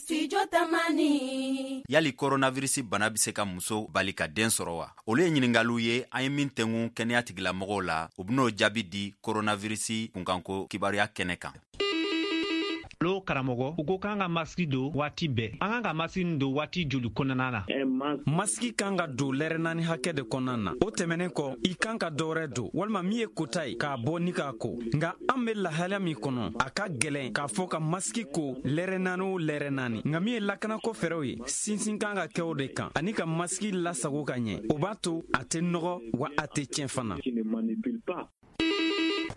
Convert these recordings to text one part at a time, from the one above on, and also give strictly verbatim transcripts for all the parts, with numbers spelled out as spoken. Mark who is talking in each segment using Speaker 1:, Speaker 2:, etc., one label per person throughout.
Speaker 1: Studio Tamani.
Speaker 2: Yali coronavirus bana bɛ se ka muso bali ka den sɔrɔ wa? Olu ye ɲininkaliw ye an ye min tɛngu kɛnɛya tigilamɔgɔw la. U ben'o jaabi di coronavirus kunkanko kibaruya kɛnɛ kan.
Speaker 3: Lo karamɔgɔ, u ko k'an ka masiki don waati bɛɛ. An kan ka masiki don waati joli kɔnɔna na?
Speaker 4: Masiki kan ka don lɛrɛ naani hakɛ de kɔnɔna na. O tɛmɛnen kɔ, i kan ka dɔwɛrɛ don walima min ye kota ye k'a bɔ ni k'a ko. Nka an be lahalaya min kɔnɔ, a ka gwɛlɛn k'a fɔ ka masiki ko lɛrɛ naani o lɛrɛ naani. Nka min ye lakanako fɛɛrɛw ye, sinsin kan ka kɛ o de kan, ani ka masiki lasago ka ɲɛ. O b'a to a tɛ nɔgɔ wa a tɛ tiɲɛ fana.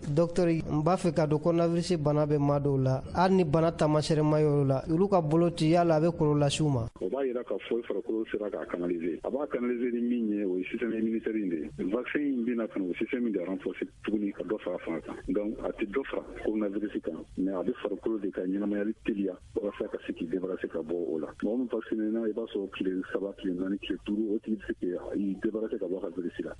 Speaker 5: Docteur, n b'a fɛ ka don coronavirus bana bɛ maa dɔw la, hali ni bana taamasiyɛn ma y'olu la, olu ka bolo ci, yala a bɛ kɔlɔlɔ lase u ma?
Speaker 6: O b'a yira k'a fɔ i farikolo sera k'a canaliser. A b'a canaliser ni min ye, o ye système immunitaire in de ye. Vaccin in bɛna ka na o système de renforcer tuguni ka dɔ fara fanga kan. Donc a tɛ dɔ fara coronavirus kan, mais a bɛ farikolo de ka ɲɛnamayali teliya walasa ka se k'i débarrasser ka bɔ o la. Mɔgɔ min vacciné na, i b'a sɔrɔ tile saba, tile naani, tile duuru, o tigi bɛ se k'i débarrasser ka bɔ a ka virus la.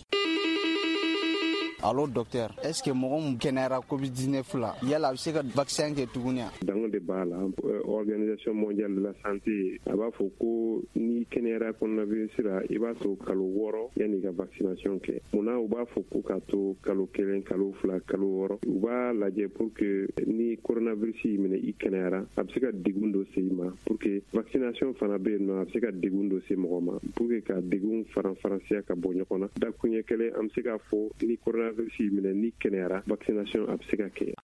Speaker 7: Allo docteur, est ce que mɔgɔ min kɛnɛyara COVID dix-neuf la, yala a bɛ se ka vaccin kɛ tuguni wa?
Speaker 8: Dango de b'a la. Organisation mondiale de la santé a b'a fɔ ko n'i kɛnɛyara coronavirus la, i b'a to kalo wɔɔrɔ yanni ka vaccination kɛ. Munna u b'a fɔ ko k'a to kalo kelen, kalo fila, kalo wɔɔrɔ? U b'a lajɛ pour que ni coronavirus y'i minɛ, i kɛnɛyara, a bɛ se ka degun dɔ se i ma. Pour que vaccination fana bɛ yen nɔ, a bɛ se ka degun dɔ se mɔgɔ ma. Pour que ka degun faran faransiya ka bɔ ɲɔgɔn na, dakuɲɛ kelen, an bɛ se k'a fɔ ni coronavirus y'i minɛ, ni kɛnɛyara, vaccination a bɛ se ka kɛ.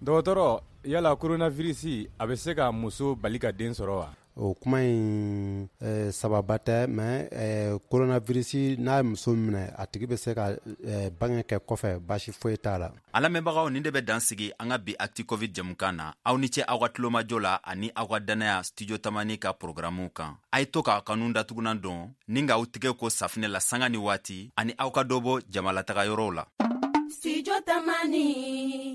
Speaker 9: Dɔgɔtɔrɔ, yala coronavirus a bɛ se ka muso bali ka den sɔrɔ wa?
Speaker 10: O kuma in eh, sababa tɛ, mais eh, coronavirus n'a ye muso minɛ, a tigi bɛ se ka eh, bange kɛ kɔfɛ, baasi foyi t'a la.
Speaker 2: An lamɛnbagaw, nin de bɛ dan sigi an ka bi Actu Covid jɛmukan na. Aw ni ce aw ka tulomajɔ la ani aw ka dannaya Studio Tamani ka programuw kan. A ye to k'a kanu datugunan dɔn ni k'aw tigɛ ko safinɛ la sanga ni waati, ani aw ka dɔ bɔ jamalataga yɔrɔw la.
Speaker 1: Studio Tamani.